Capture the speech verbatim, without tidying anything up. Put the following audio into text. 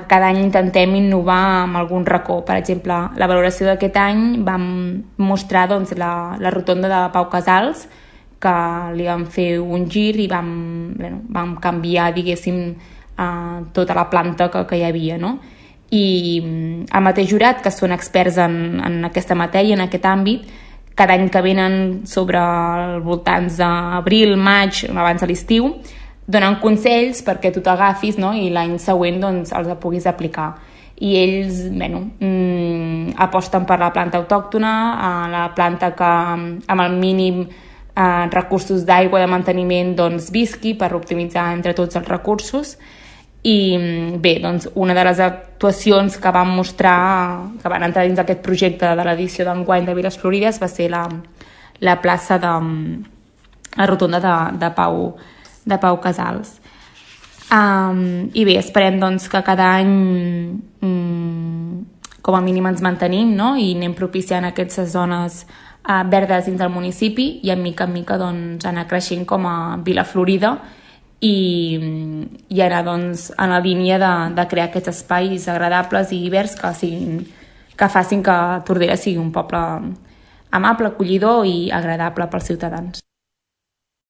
cada any intentem innovar amb algun racó. Per exemple, la valoració d'aquest any vam mostrar doncs, la, la rotonda de Pau Casals, que li vam fer un gir i vam, bueno, vam canviar, diguéssim, eh, tota la planta que, que hi havia, no? I el mateix jurat, que són experts en, en aquesta matèria, en aquest àmbit, cada any que venen sobre els voltants d'abril, maig, abans de l'estiu, donen consells perquè tu t'agafis, no? I l'any següent doncs, els puguis aplicar. I ells bueno, mmm, aposten per la planta autòctona, eh, la planta que amb el mínim eh, recursos d'aigua de manteniment doncs, visqui per optimitzar entre tots els recursos. I bé, doncs una de les actuacions que vam mostrar, que van entrar dins aquest projecte de l'edició d'enguany de Viles Florides va ser la, la plaça de la rotonda de, de, Pau, de Pau Casals. Um, I bé, esperem doncs, que cada any um, com a mínim ens mantenim, no? I anem propiciant aquestes zones uh, verdes dins del municipi i en mica en mica doncs, anar creixent com a Vila Florida i, i anar doncs, en la línia de, de crear aquests espais agradables i verds que, siguin, que facin que Tordera sigui un poble amable, acollidor i agradable pels ciutadans.